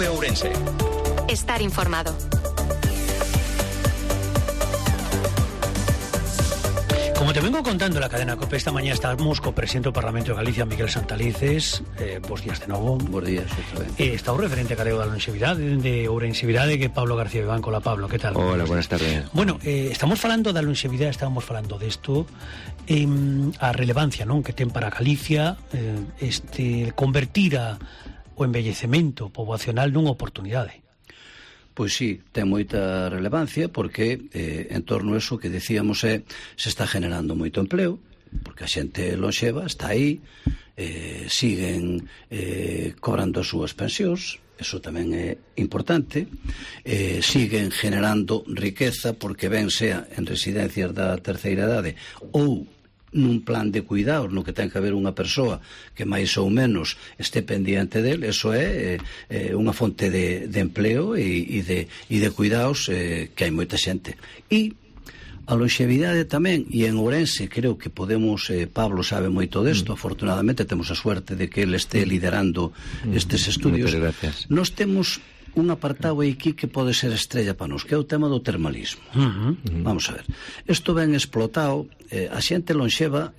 COPE Ourense. Estar informado. Como te vengo contando en la cadena COPE, esta mañana estamos co presidente do Parlamento de Galicia, Miguel Santalices. Bos días de novo. Bos días, outra vez. Está o referente galego da longevidade, de Ourensevidade, que Pablo García Bebán. Hola, Pablo, que tal? Hola, buenas tardes. Bueno, estamos falando da longevidade, estamos falando desto, a relevancia, non, que ten para Galicia convertir o envellecemento poboacional nunha oportunidade. Pois sí, ten moita relevancia porque en torno a eso que decíamos se está generando moito empleo, porque a xente lonxeva está aí, siguen cobrando as súas pensións, eso tamén é importante, siguen generando riqueza porque ben sea en residencias da terceira idade ou nun plan de cuidados no que ten que haber unha persoa que máis ou menos este pendiente del, eso é unha fonte de empleo e de cuidados que hai moita xente. E a longevidade tamén, e en Ourense creo que podemos, Pablo sabe moito desto, afortunadamente temos a suerte de que ele este liderando estes estudios. Nós temos un apartado aquí que pode ser estrella para nós, que é o tema do termalismo. Vamos a ver, isto ben explotado, a xente lonxeva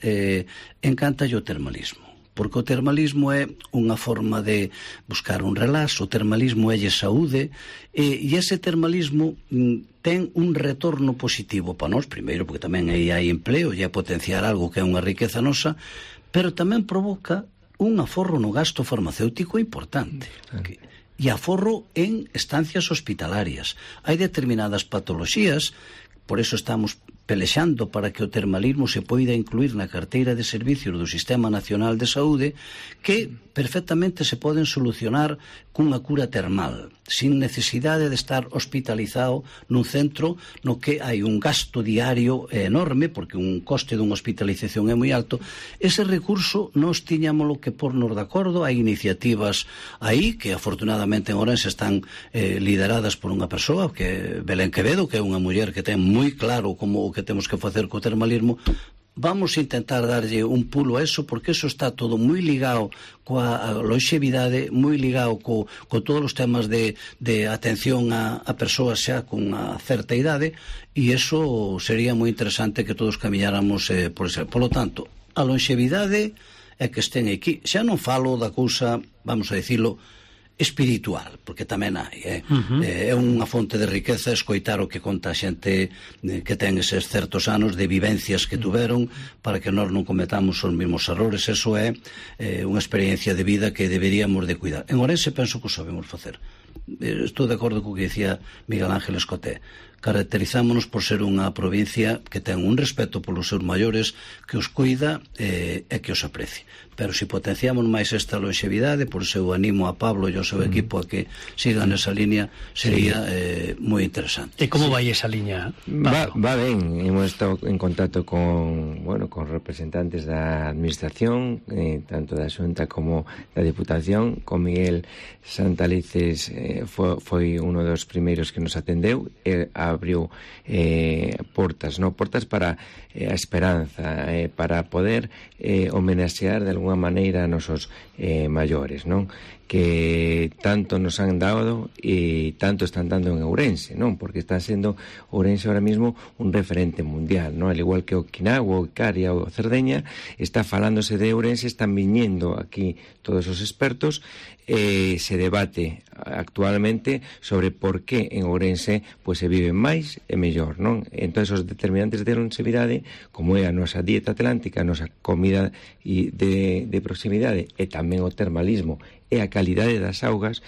encanta o termalismo, porque o termalismo é unha forma de buscar un relax, o termalismo é saúde, e ese termalismo ten un retorno positivo para nós, primeiro porque tamén aí hai empleo e é potenciar algo que é unha riqueza nosa, pero tamén provoca un aforro no gasto farmacéutico importante, e aforro en estancias hospitalarias. Hai determinadas patoloxías, por eso estamos pelexando para que o termalismo se poida incluir na carteira de servicios do Sistema Nacional de Saúde, que perfectamente se poden solucionar cunha cura termal, sin necesidade de estar hospitalizado nun centro no que hai un gasto diario enorme, porque un coste dunha hospitalización é moi alto. Ese recurso nós tiñámoslo que pornos de acordo, hai iniciativas aí que afortunadamente en Ourense están lideradas por unha persoa, que é Belén Quevedo, que é unha muller que ten moi claro como o que temos que facer co termalismo. Vamos a intentar darlle un pulo a eso, porque eso está todo moi ligado coa longevidade, moi ligado co todos os temas de atención a persoas xa con a certa idade, e eso sería moi interesante que todos camiñáramos por ese. Por lo tanto, a longevidade é que estén aquí. Xa non falo da cousa, vamos a dicilo, espiritual, porque tamén hai é unha fonte de riqueza escoitar o que conta a xente que ten eses certos anos de vivencias que tuveron para que nós non cometamos os mesmos errores. Eso é unha experiencia de vida que deberíamos de cuidar. En Ourense penso que o sabemos facer. Estou de acordo co que dicía Miguel Ángel Escoté. Caracterizámonos por ser unha provincia que ten un respeto polos seus maiores, que os cuida e que os aprecie. Pero se potenciamos máis esta longevidade, por seu animo a Pablo e ao seu equipo a que sigan esa línea, sería moi interesante. E como vai esa liña, Pablo? Va ben, hemos estado en contacto con representantes da administración, tanto da Xunta como da Diputación. Con Miguel Santalices foi uno dos primeiros que nos atendeu, abriu portas para a esperanza, para poder homenaxear de alguna maneira a nosos maiores, non? Que tanto nos han dado e tanto están dando en Ourense, non? Porque está sendo Ourense ahora mismo un referente mundial, non? Al igual que Okinawa, o Icaria ou Cerdeña, está falándose de Ourense, están viñendo aquí todos os expertos, se debate actualmente sobre por que en Ourense pois se vive máis e mellor, non? Entón, os determinantes de longevidade, como é a nosa dieta atlántica, a nosa comida de proximidade e tamén o termalismo e a calidade das augas,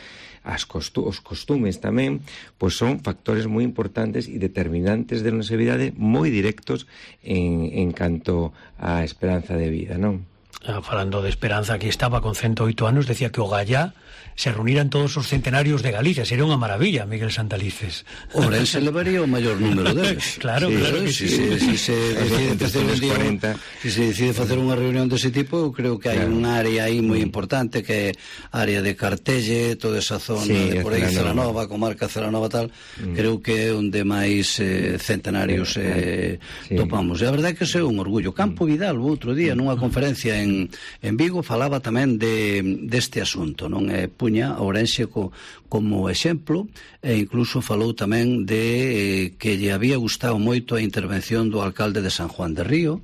os costumes tamén, pois son factores moi importantes e determinantes de longevidade moi directos en canto á esperanza de vida, non? Falando de esperanza, aquí estaba con 108 anos, decía que o Gallá se reuniran todos os centenarios de Galicia. Sería unha maravilla, Miguel Santalices. Ourense levaría o maior número deles. Claro, claro que sí. Si se decide facer un día, si se decide facer unha reunión dese tipo, eu creo que hai un área aí moi importante, que é área de Cartelle, toda esa zona de por aí, Celanova, comarca Celanova tal, creo que é onde máis centenarios topamos. E a verdade é que é un orgullo. Campo Vidal, o outro día, nunha conferencia en en Vigo falaba tamén deste asunto, non? Puña a Ourense como exemplo, e incluso falou tamén de que lle había gustado moito a intervención do alcalde de San Juan de Río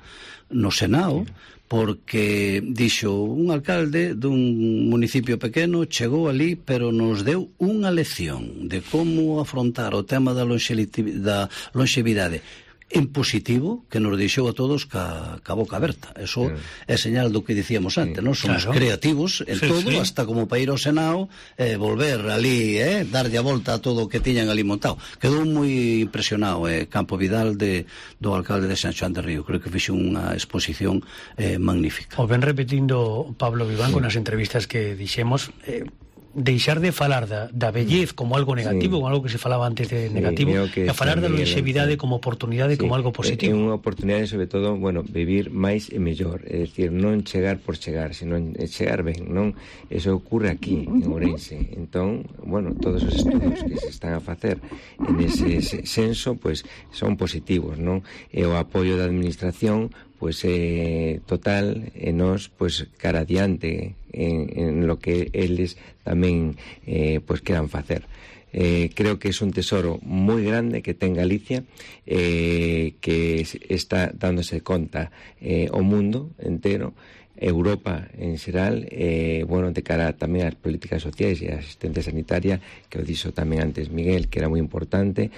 no Senado, porque dixo, un alcalde dun municipio pequeno chegou ali, pero nos deu unha lección de como afrontar o tema da longevidade en positivo, que nos deixou a todos ca boca aberta. Eso é señal do que dicíamos antes, non? Somos creativos en todo, hasta como para ir ao Senado, volver ali, darlle a volta a todo o que tiñan ali montado. Quedou moi impresionado Campo Vidal do alcalde de San Xoán de Río. Creo que fixe unha exposición magnífica. O ven repetindo Pablo Vivanco nas entrevistas que dixemos, deixar de falar da vellez como algo negativo, como algo que se falaba antes de negativo, e a falar da longevidade como oportunidade, como algo positivo. É unha oportunidade, sobre todo, vivir máis e mellor, é dicir, non chegar por chegar, senón chegar ben, non? Eso ocurre aquí, en Ourense. Entón, todos os estudos que se están a facer en ese senso, son positivos, non? E o apoio da administración total, e nós cara adiante en lo que eles tamén queran facer. Creo que é un tesoro moi grande que ten Galicia, que está dándose conta o mundo entero, Europa en xeral, de cara tamén ás políticas sociais e a asistencia sanitaria, que o dixo tamén antes Miguel, que era moi importante,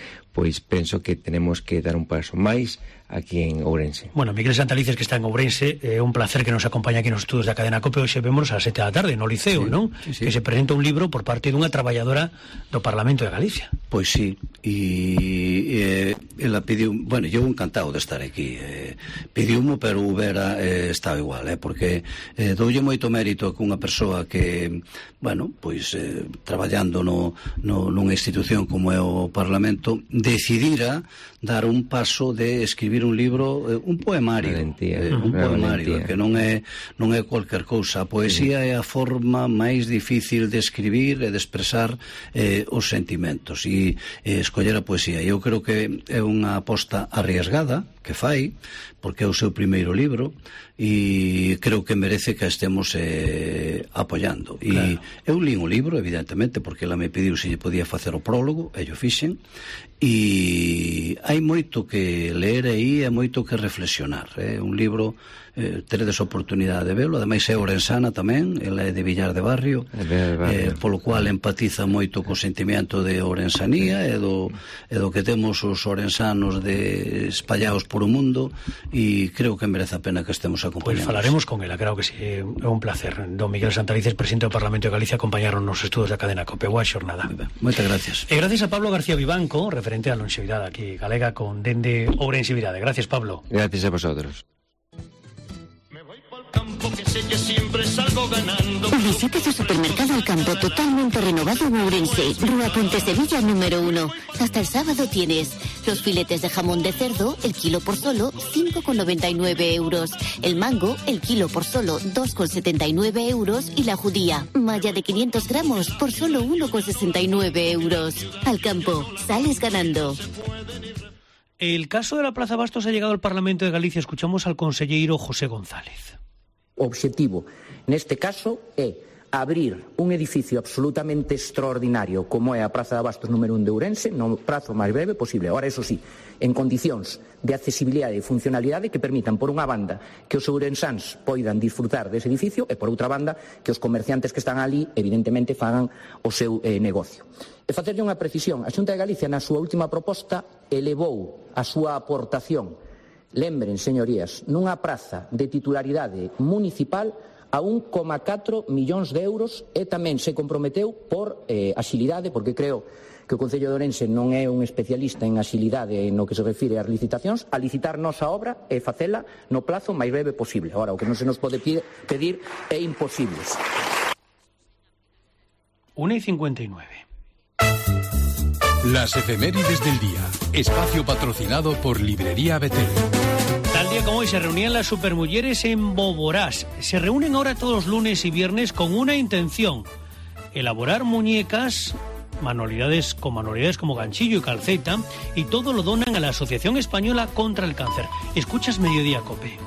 penso que tenemos que dar un paso máis aquí en Ourense. Miguel Santalices, que está en Ourense, é un placer que nos acompañe aquí nos estudos da cadena COPE. Hoxe vemos a 7 da tarde no Liceo, non? Sí. Que se presenta un libro por parte dunha traballadora do Parlamento de Galicia. Pois sí, e ela pediu, eu encantado de estar aquí, pediumo, pero Vera estaba igual, porque doulle moito mérito que unha persoa que, traballando nunha institución como é o Parlamento, decidira dar un paso de escribir un libro, un poemario, que non é cualquier cousa. A poesía é a forma máis difícil de escribir e de expresar os sentimentos, e escoller a poesía. Eu creo que é unha aposta arriesgada que fai, porque é o seu primeiro libro, e creo que merece que a estemos apoiando. E eu li un libro, evidentemente, porque ela me pediu se lle podía facer o prólogo, e yo fixen, e hai moito que ler aí, e moito que reflexionar. É un libro, teredes oportunidade de velo, ademais é orensana tamén, ela é de Villar de Barrio, polo cual empatiza moito co sentimento de orensanía e do que temos os orensanos espallados por o mundo, e creo que merece a pena que estemos acompañados. Falaremos con ela, claro que sí, é un placer. Don Miguel Santalices, presidente do Parlamento de Galicia, acompañaron nos estudos da cadena COPE. Boa xornada. Moitas gracias. E gracias a Pablo García Vivanco, referente á longevidade aquí galega con dende Ourensevidade. Gracias, Pablo. Gracias a vosotros. Visite su supermercado El Campo totalmente renovado en Ourense, Rúa Ponte Sevilla número 1. Hasta el sábado tienes los filetes de jamón de cerdo, el kilo por solo 5,99 euros. El mango, el kilo por solo 2,79 euros. Y la judía, malla de 500 gramos por solo 1,69 euros. Al Campo, sales ganando. El caso de la Plaza Bastos ha llegado al Parlamento de Galicia. Escuchamos al conselleiro José González. O obxectivo neste caso é abrir un edificio absolutamente extraordinario como é a Praza de Bastos número 1 de Ourense no prazo máis breve posible. Ahora, eso sí, en condicións de accesibilidade e funcionalidade que permitan, por unha banda, que os ourensáns poidan disfrutar dese edificio e, por outra banda, que os comerciantes que están ali, evidentemente, fagan o seu negocio. E facerlle unha precisión, a Xunta de Galicia, na súa última proposta, elevou a súa aportación, lembren, señorías, nunha praza de titularidade municipal a 1,4 millóns de euros, e tamén se comprometeu por axilidade, porque creo que o Concello de Ourense non é un especialista en axilidade no que se refire ás licitacións, a licitar nosa obra e facela no plazo máis breve posible. Ahora, o que non se nos pode pedir é imposible. 1:59. Las efemérides del día. Espacio patrocinado por Librería Betel. Tal día como hoy se reunían las supermulleres en Boborás. Se reúnen ahora todos los lunes y viernes con una intención: elaborar muñecas, manualidades como ganchillo y calceta, y todo lo donan a la Asociación Española contra el Cáncer. Escuchas Mediodía Cope.